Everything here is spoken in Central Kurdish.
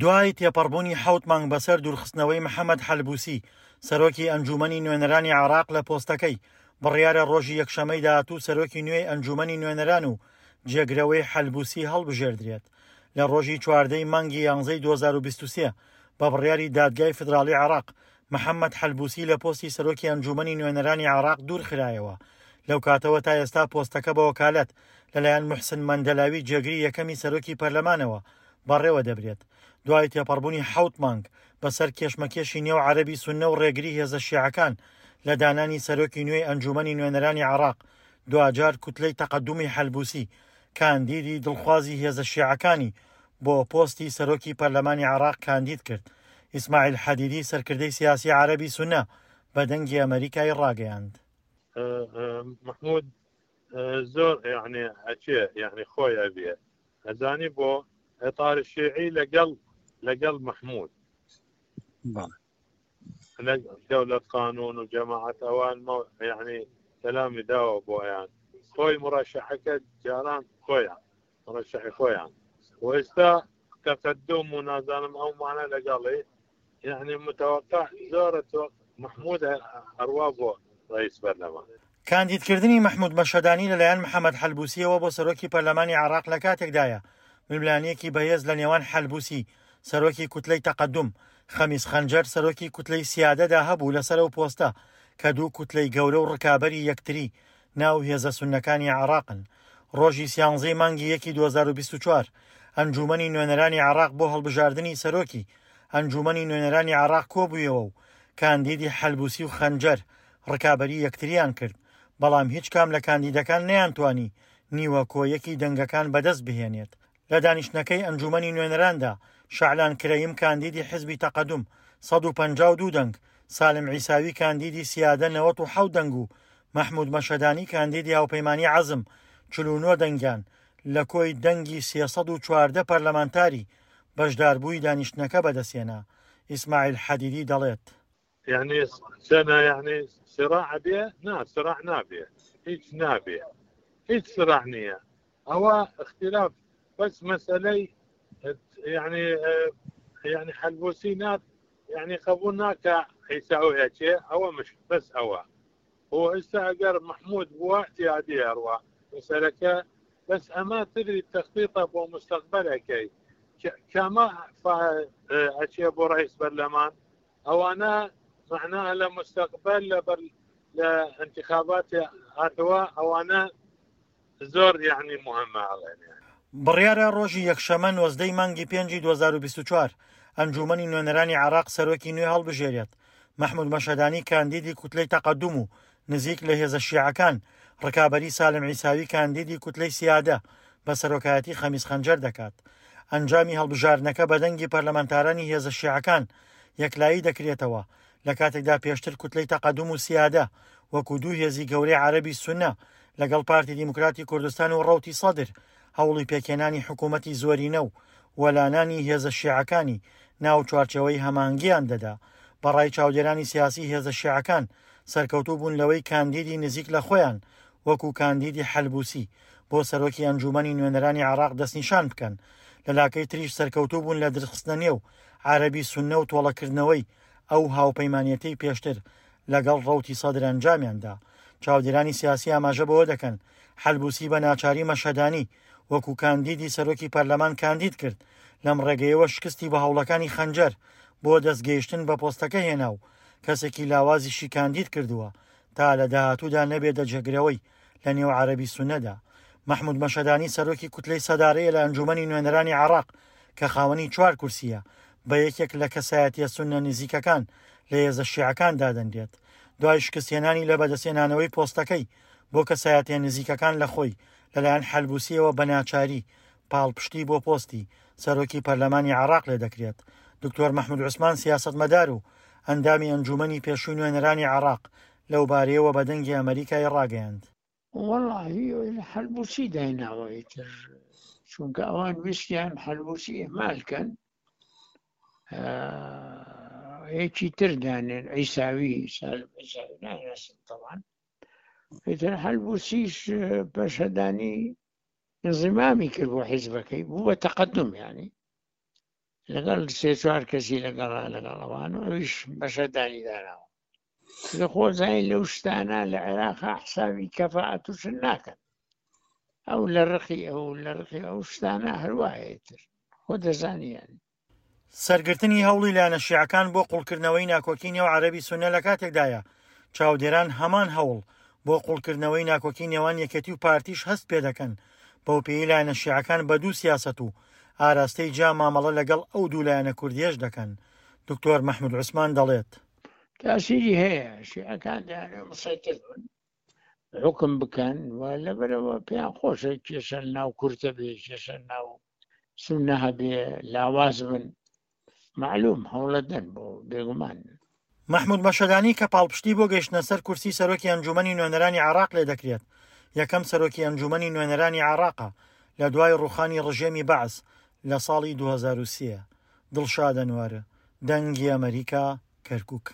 دوای تێپەڕبوونی حەوت مانگ بەسەر دوورخستنەوەی محەمەد حەلبوسی، سەرۆکی ئەنجوومەنی نوێنەرانی عێراق لە پۆستەکەی، بڕیارە ڕۆژی یەکشەمەی داهاتوو سەرۆکی نوێی ئەنجوومەنی نوێنەران و جێگرەوەی حەلبوسی هەڵبژێردرێت. لە ڕۆژی 14 ی مانگی یانزەی 2023 بە بڕیاری دادگای فیدراڵی عێراق، محەمەد حەلبوسی لە پۆستی سەرۆکی ئەنجوومەنی نوێنەرانی عێراق دوورخرایەوە. لەو کاتەوە تا ئێستا پۆستەکە بە وەکالەت لەلایەن موحسن مەندەلاوی جێگری یەکەمی سەرۆکی پەرلەمانەوە بەڕێوە دەبرێت. دوای تێپەڕبوونی حەوت مانگ بەسەر کێشمەکێشی نێو عەرەبی سوننە و ڕێگری هێزە شیعەکان لە دانانی سەرۆکی نوێی ئەنجوومەنی نوێنەرانی عێراق، دواجار کوتلەی تەقەدومی حەلبوسی کاندیدی دڵخوازی هێزە شیعەکانی بۆ پۆستی سەرۆکی پەرلەمانی عێراق کاندید کرد. ئیسماعیل حەدیدی سەرکردەی سیاسی عەرەبی سوننە بە دەنگی ئەمەریکای ڕاگەیاند. مەحمود زۆر یعنی ئەچێ یعنی خۆی ئەبێ ئەزانی بۆ ئێتار شیعی لەگەڵ لەگەڵ مححمود دەولەت قانون و جەماعەت ئەوان یعنی کەلامی داوە بۆیان خۆی مڕەشەحەکە جاران خۆیان مڕەشەحی خۆیان و ئێستا تەقدم و نازانم ئەو مانە لەگەڵی یعنی متوقع زۆرە مححمود هەروا بۆ ڕئیس بەرلەمان. کاندیدکردنی مەحمود مەشهەدانی لەلایەن محەمەد حەلبوسییەوە بۆ سەرۆکی پەرلەمانی عێراق لەکاتێکدایە، ململانێیەکی بەهێز لە نێوان حەلبوسی، سەرۆکی کوتلەی تەقەدوم، خەمیس خەنجەر، سەرۆکی کوتلەی سیادەدا هەبوو لەسەر ئەو پۆستە کە دوو کوتلەی گەورە و ڕکابەری یەکتری ناو هێزە سوننەکانی عێراقن. ڕۆژی سیانزەی مانگی یەکی 2024 ئەنجوومەنی نوێنەرانی عێراق بۆ هەڵبژاردنی سەرۆکی ئەنجوومەنی نوێنەرانی عێراق کۆبوویەوە و کاندیدی حەلبوسی و خەنجەر ڕکابەری یەکتریان کرد، بەڵام هیچ کام لە کاندیدەکان نەیانتوانی نیوە کۆ یەکی دەنگەکان بەدەست بهێنێت. لە دانیشتنەکەی ئەنجوومەنی نوێنەراندا، شەعلان کرەیم کاندیدی حزبی تەقەدوم 152 دەنگ، سالم عیساوی کاندیدی سیادە 97 دەنگ و مەحمود مەشهەدانی کاندیدی هاوپەیمانی عەزم 49 دەنگیان لە کۆی دەنگی 314 پەرلەمانتاری بەشداربووی دانیشتنەکە بەدەستهێنا. ئیسماعیل حەدیدی دەڵێت. یعنی سەنە یعنی سراع بێ نا سراع نابێ هیچ نابێ هیچ سراع نییە ئەوە اختلاف بەس مەسەلەی یعنی یعنی حەلبوسی نات یعنی قبول ناکە عیساوی ئەچێ ئەوە مش بەس ئەوە هو ئێستا ئەگەر محمود بووە اعتیادی ئەڕوا مەسەلەکە بەس ئەمە تدری تخطیطە بۆ مستقبلەکەی کەمە ئەچێ بۆ ڕئیس بەرلەمان ئەوانە معناها لە مستقبل لە بەر لە انتخابات هاتەوە ئەوانە زۆر یعنی مهمە ئەڵێن. بڕیارە ڕۆژی یەکشەمە 19 ی مانگی پێنجی 2024 ئەنجوومەنی نوێنەرانی عێراق سەرۆکی نوێ هەڵبژێرێت. مەحمود مەشهەدانی کاندیدی کوتلەی تەقەدوم و نزیک لە هێزە شیعەکان، ڕکابەری سالم عیساوی کاندیدی کوتلەی سیادە بە سەرۆکایەتی خەمیس خەنجەر دەکات. ئەنجامی هەڵبژاردنەکە بە دەنگی پەرلەمانتارانی هێزە شیعەکان یەکلایی دەکرێتەوە، لە کاتێکدا پێشتر کوتلەی تەقەدوم و سیادە وەکو دوو هێزی گەورەی عەرەبی سوننە لەگەڵ پارتی دیموکراتی کوردستان و ڕەوتی سەدر هەوڵی پێکهێنانی حکوومەتی زۆرینە و وەلانانی هێزە شیعەکانی ناو چوارچێوەی هەماهەنگییان دەدا. بە ڕای چاودێرانی سیاسی هێزە شیعەکان سەرکەوتوو بوون لەوەی کاندیدی نزیک لە خۆیان وەکو کاندیدی حەلبوسی بۆ سەرۆکی ئەنجوومەنی نوێنەرانی عێراق دەستنیشان بکەن، لە لاکەی تریش سەرکەوتوو بوون لە درخستنە نێو عەرەبی سوننە و تۆڵەکردنەوەی ئەو هاوپەیمانێتیەی پێشتر لەگەڵ ڕەوتی سەدر ئەنجامیان دا. چاودێرانی سیاسی ئاماژە بەوە دەکەن، حەلبوسی بە ناچاری مەشهەدانی وەکو کاندیدی سەرۆکی پەرلەمان کاندید کرد، لەم ڕێگەیەوە شکستی بە هەوڵەکانی خەنجەر بۆ دەستگەیشتن بە پۆستەکە هێنا و کەسێکی لاوازیشی کاندید کردووە تا لە داهاتوودا نەبێتە جێگرەوەی لە نێو عەرەبی سوننەدا. مەحمود مەشهەدانی سەرۆکی کوتلەی سەدارەیە لە ئەنجوومەنی نوێنەرانی عێراق کە خاوەنی چوار کورسییە، بە یەکێک لە کەسایەتییە سوننە نزیکەکان لە هێزە شیعەکان دادەنرێت. دوای شکستهێنانی لە بەدەستهێنانەوەی پۆستەکەی بۆ کەسایەتییە نزیکەکان لە خۆی لەلایەن حەلبوسییەوە بە ناچاری پاڵپشتی بۆ پۆستی سەرۆکی پەرلەمانی عێراق لێدەکرێت. دکتۆر مەحمود عوسمان سیاسەتمەدار و ئەندامی ئەنجوومەنی پێشووی نوێنەرانی عێراق لەوبارەیەوە بە دەنگی ئەمەریکای ڕاگەیاند. وەڵاهی حەلبوسی دایناوە ئیتر چونکە ئەوان ویستیان حەلبوسی ئیهمال کەن یەکی تر دانێن عیساوی سالم عیساوی ناناسم تەوان ئیتر حەلبوسیش پەشەدانی انزمامی کرد بۆ حیزبەکەی بوو بە تەقدم ینی. لەگەڵ سێ چوار کەسی لەگەڵا لەگەڵ ئەوان و ئەویش مەشهەدانی داناوە. لە خۆزای لەو شتانە لە عێراق حسابی کەفاعەت و شت ناکەن. ئەو لە ڕقی ئەو لە ڕقی ئەو شتانە هەروایە تر خۆ دەزانیان. سەرگرتنی هەوڵی لایەنە شیعەکان بۆ قوڵکردنەوەی ناکۆکی نێو عەرەبی سوننە لە کاتێکدایە چاودێران هەمان هەوڵ بۆ قوڵکردنەوەی ناکۆکی نێوان یەکێتی و پارتیش هەست پێدەکەن بەوپێیەی لایەنە شیعەکان بە دوو سیاسەت و ئاراستەی جیا مامەڵە لەگەڵ ئەو دوو لایەنە کوردییەش دەکەن. دکتۆر مەحمود عوسمان دەڵێت. تاسیری هەیە، شیعەکان دەیانەوێت مسەیتر بن، حوکم بکەن و لەبەرئەوە پێیان خۆشە کێشە لەناو کورد هەبێ، کێشە لەناو سوننە هەبێ، لاواز بن، مەعلوم هەوڵەدەن بۆ بێگومان. مەحمود مەشهەدانی کە پاڵپشتی بۆ گەیشتنە سەر کورسی سەرۆکی ئەنجوومەنی نوێنەرانی عێراق لێدەکرێت، یەکەم سەرۆکی ئەنجوومەنی نوێنەرانی عێراقە لە دوای ڕووخانی ڕژێمی بەعس لە ساڵی 2003. دڵشاد ئەنوەر، دەنگی ئەمەریکا، کەرکوک.